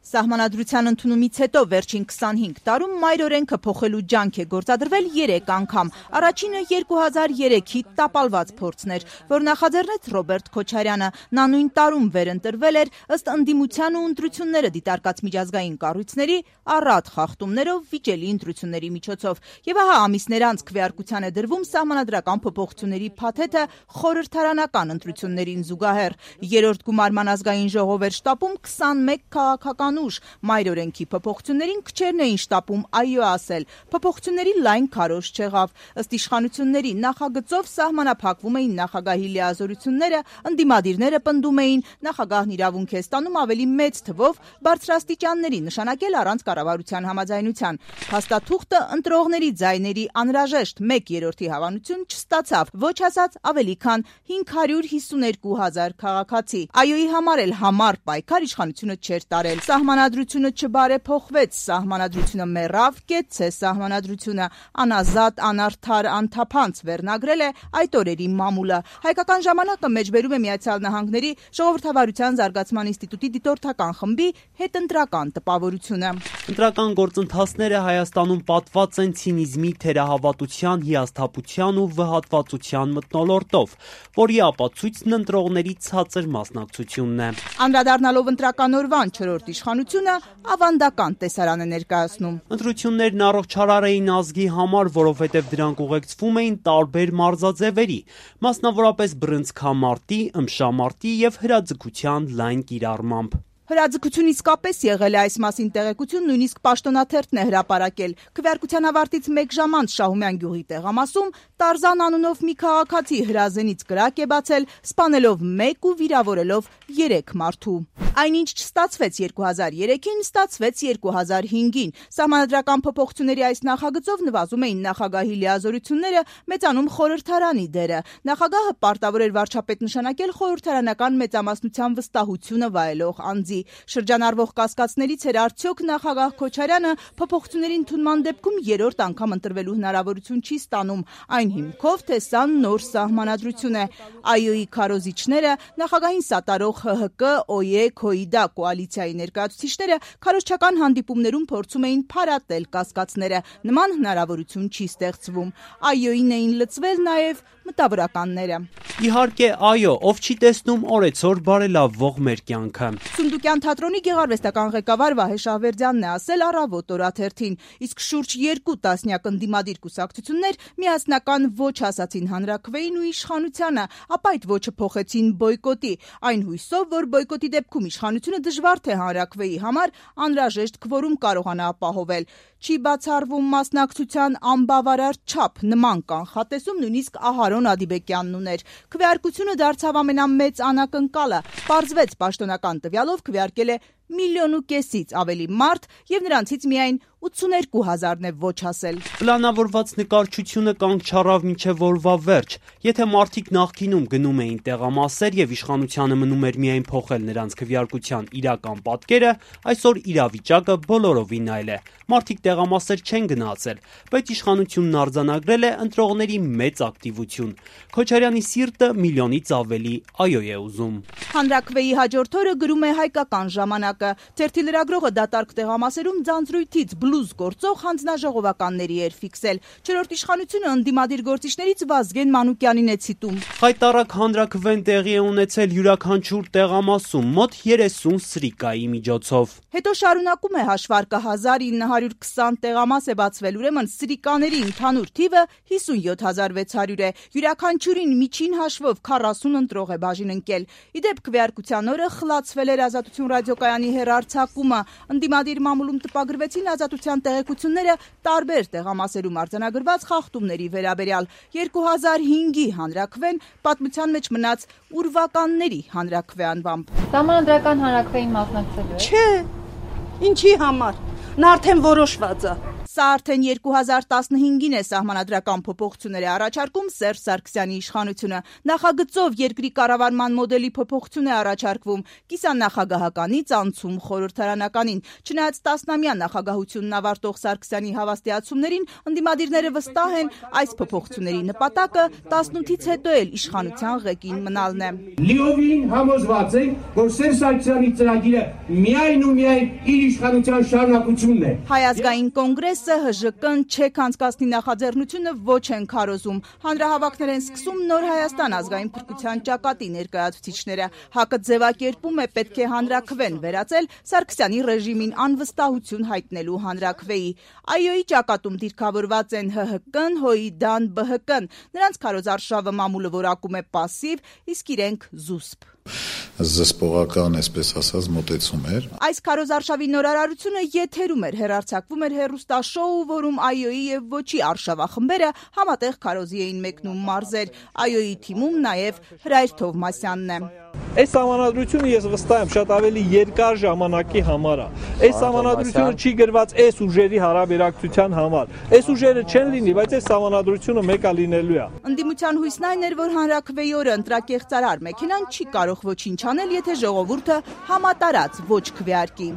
Սահմանադրության ընդունումից հետո վերջին 25 տարում մայր օրենքը փոխելու ջանք է գործադրվել 3 անգամ։ Առաջինը 2003-ի տապալված փորձն էր, որ նախաձեռնեց Ռոբերտ Քոչարյանը։ Նա նույն տարում վերընտրվել էր ըստ ընդդիմության ու ընտրությունները դիտարկած միջազգային կառույցների առատ խախտումներով վիճելի ընտրությունների միջոցով։ Եվ ահա ամիսներ անց քվեարկության է դրվում սահմանադրական փոփոխությունների փաթեթը խորհրդարանական ընտրություններին զուգահեռ։ Երրորդ գումարման ազգային ժողով էր շտապում 21 քաղաքական ուժ մայր օրենքի փոփոխություններին քչերն էին շտապում այո ասել։ Փոփոխությունների լայն քարոզ չեղավ։ Ըստ իշխանությունների նախագծով սահմանափակվում էին նախագահի լիազորությունները, ընդդիմադիրները պնդում էին նախագահն իրավունք է ստանում ավելի մեծ թվով բարձրաստիճանների նշանակել առանց կառավարության համաձայնության։ Փաստաթուղթը ընտրողների ձայների անհրաժեշտ 1/3 հավանություն չստացավ, ոչ ասած ավելի քան 552,000 քաղաքացի։ Այոյի համար էլ համառ պայքար իշխանությունը չէր տարել։ Սահմանադրությունը չբարեփոխվեց, սահմանադրությունը մեռավ, կեցցե սահմանադրությունը, անազատ, անարդար, անթափանց վերնագրել է այդ օրերի մամուլը։ Հայկական ժամանակը մեջբերում է Միացյալ Նահանգների ժողովրդավարության զարգացման ինստիտուտի դիտորդական խմբի հետընտրական տպավորությունը։ Ընտրական գործընթացները Հայաստանում պատված են ցինիզմի, թերահավատության, հիասթափության ու վհատվածության մթնոլորտով, որի ապացույցն ընտրողների ցածր մասնակցությունն է։ Անդրադառնալով ընտրական օրվան 4-րդ իշխանությունը ավանդական տեսարան է ներկայացնում։ Ընտրություններն առողջարար էին ազգի համար, որովհետև դրանք ուղեկցվում էին տարբեր մարզաձևերի, մասնավորապես բռնցքամարտի, ըմբշամարտի եւ հրաձգության լայն կիրառմամբ։ Հրաձգություն իսկապես եղել է, այս մասին տեղեկություն նույնիսկ պաշտոնաթերթն է հրապարակել։ Քվեարկության ավարտից 1 ժամ անց Շահումյան գյուղի տեղամասում Տարզան անունով մի քաղաքացի հրազենից կրակ է բացել, սպանելով 1 ու վիրավորելով 3 մարդու։ Այնինչ չստացվեց 2003-ին, ստացվեց 2005-ին։ Սահմանադրական փոփոխությունների այս նախագծով նվազում էին նախագահի լիազորությունները, մեծանում խորհրդարանի դերը։ Նախագահը պարտավոր էր վարչապետ նշանակել խորհրդարանական մեծամասնության վստահությունը վայելող անձի։ Շրջանառվող կասկածներից էր արդյոք նախագահ Քոչարյանը փոփոխությունների ընդունման դեպքում 3-րդ անգամ ընտրվելու հնարավորություն չի ստանում, այն հիմքով, թե սա նոր սահմանադրություն է։ Այոյի քարոզիչները, նախագահին սատարող ՀՀԿ, ՕԵ, ՔՕԻԴԱ կոալիցիայի ներկայացուցիչները քարոզչական հանդիպումներում փորձում էին փարատել կասկածները։ Նման հնարավորություն չի ստեղծվում։ Այոյին էին լծվել նաև մտավորականները։ Իհարկե, այո, ով չի տեսնում օրեցօր բարելավվող մեր կյանքը։ Սունդուկյան թատրոնի գեղարվեստական ղեկավար Վահե Շահվերդյանն է ասել Առավոտ օրաթերթին, իսկ շուրջ 2 տասնյակ ընդդիմադիր կուսակցություններ միասնական ոչ ասացին հանրաքվեին ու իշխանությանը, ապա այդ ոչը փոխեցին բոյկոտի, այն հույսով, որ բոյկոտի դեպքում իշխանությունը դժվար թե հանրաքվեի համար անհրաժեշտ քվորում կարողանա ապահովել։ Չի բացառվում մասնակցության անբավարար չափ, նման կանխատեսում նույնիսկ Ահարոն Ադիբեկյանն ուներ։ Քվեարկությունը դարձավ ամենամեծ անակնկալը։ Պարզվեց պաշտոնական տվյալով քվեարկել է 1,5 միլիոնից ավելի մարդ եւ նրանցից միայն 82,000-ն է ոչ ասել։ Պլանավորված նկարչությունը կանգ չառավ մինչև օրվա վերջ։ Եթե մարդիկ նախկինում գնում էին տեղամասեր եւ իշխանությանը մնում էր միայն փոխել նրանց քվեարկության իրական պատկերը, այսօր իրավիճակը բոլորովին այլ է։ Մարդիկ տեղամասեր չեն գնացել, բայց իշխանությունն արձանագրել է ընտրողների մեծ ակտիվություն։ Քոչարյանի սիրտը միլիոնից ավելի այո է ուզում։ Հանրաքվեի հաջորդ օրը գրում է Հայկական ժամանակը։ Թերթի լրագրողը դատարկ տեղամասերում ձանձրույթից բլուզ գործող հանձնաժողովականների էր ֆիքսել։ 4-րդ իշխանությունը ընդդիմադիր գործիչներից Վազգեն Մանուկյանին է ցիտում։ Խայտառակ հանրաքվեն տեղի է ունեցել յուրաքանչյուր տեղամասում մոտ 30 սրիկայի միջոցով։ Հետո շարունակում է հաշվարկը 1920 տեղամաս է բացվել, ուրեմն սրիկաների ընդհանուր թիվը 57,600 է։ Յուրաքանչյուրին միջին հաշվով 40 ընտրող է բաժին ընկել։ Իդեպ քվեարկության օրը խլացվել էր Ազատություն ռադիոկայանի հեռարձակումը։ Ընդդիմադիր մամուլում տպագրվեցին ազատության տեղեկությունները տարբեր տեղամասերում արձանագրված խախտումների վերաբերյալ։ 2005-ի հանրաքվեն պատմության մեջ մնաց ուրվականների հանրաքվե անվամբ։ Սահմանադրական հանրաքվեին մասնակցելու եք։ Չէ, ինչի համար։ Նա արդեն որոշված է։ Սա արդեն 2015-ին է սահմանադրական փոփոխություններ է առաջարկում Սերժ Սարգսյանի իշխանությունը։ Նախագծով երկրի կառավարման մոդելի փոփոխություն է առաջարկվում կիսանախագահականից անցում խորհրդարանականին։ Չնայած տասնամյա նախագահությունն ավարտող Սարգսյանի հավաստիացումներին, ընդդիմադիրները վստահ են, այս փոփոխությունների նպատակը 18-ից հետո էլ իշխանության ղեկին մնալն է։ Լիովին համոզված ենք, որ Սերժ Սարգսյանի ծրագիրը միայն ու միայն իր իշխանության շարունակությունն է։ Հայ ազգային կոնգրեսը ՀԺԿ-ն չեք անցկացնի նախաձեռնությունը ոչ են քարոզում։ Հանրահավաքներ են սկսում Նոր Հայաստան ազգային փրկության ճակատի ներկայացուցիչները։ ՀԱԿ-ը ձևակերպում է պետք է հանրաքվեն վերածել Սարգսյանի ռեժիմին անվստահություն հայտնելու հանրաքվեի։ ԱՅՈ-ի ճակատում դիրքավորված են ՀՀԿ-ն, ՀՅԴ-ն, ԲՀԿ-ն։ Նրանց քարոզարշավը մամուլը որակում է պասիվ, իսկ իրենք զուսպ։ Զսպողական, այսպես ասած, մոտեցում էր։ Այս քարոզարշավի նորարարությունը եթերում էր, հեռարձակվում էր հեռուստաշոու, որում ԱՅՈ-ի եւ ոչի արշավախմբերը համատեղ քարոզի էին մեկնում մարզեր։ ԱՅՈ-ի թիմում նաեւ Հրայր Թովմասյանն է։ Այս համանadrությունը ես վստահ եմ շատ ավելի երկար ժամանակի համար է։ Այս համանadrությունը չի գրված այս ուժերի հարաբերակցության համար։ Այս ուժերը չեն լինի, բայց այս համանadrությունը մեկը լինելու է։ Ընդդիմության հույսն այն էր, որ հանրաքվեի օրը ընտրակեղծարար մեքենան չի կարող ոչինչ անել, եթե ժողովուրդը համատարած ոչ քվեարկի։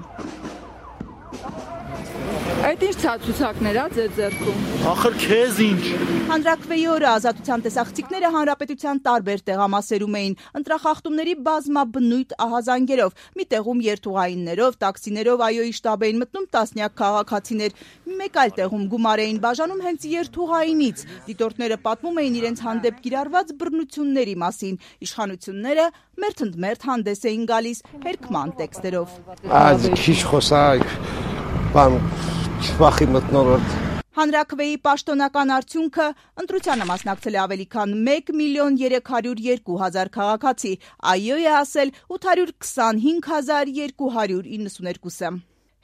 Այդ ինչ ցուցակներ է ձեր ձեռքում։ Ախր քեզ ինչ։ Հանրաքվեի օրը ազատության տեսախցիկները հանրապետության տարբեր տեղամասերում էին, ընտրախախտումների բազմաբնույթ ահազանգերով։ Մի տեղում երթուղայիններով, տաքսիներով ԱՅՈ-ի շտաբ էին մտնում տասնյակ քաղաքացիներ։ Մեկ այլ տեղում գումար էին բաժանում հենց երթուղայինից։ Դիտորդները պատմում էին իրենց հանդեպ կիրառված բռնությունների մասին։ Իշխանությունները մերթընդմերթ հանդես էին գալիս հերքման տեքստերով։ Քիչ խոսակ, բան Վախի մթնոլորտ։ Հանրաքվեի պաշտոնական արդյունքը ընտրությանը մասնակցել է ավելի քան 1.302.000 քաղաքացի, ԱՅՈ-ը ասել 825.292-ը։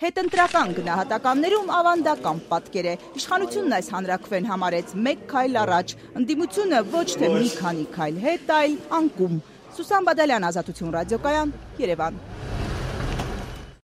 Հետընտրական գնահատականներում ավանդական պատկեր է։ Իշխանությունն այս հանրաքվեն համարեց մեկ քայլ առաջ, ընդդիմությունը ոչ թե մի քանի քայլ հետ, այլ անկում։ Սուսան Բադալյան, Ազատություն ռադիոկայան, Երևան։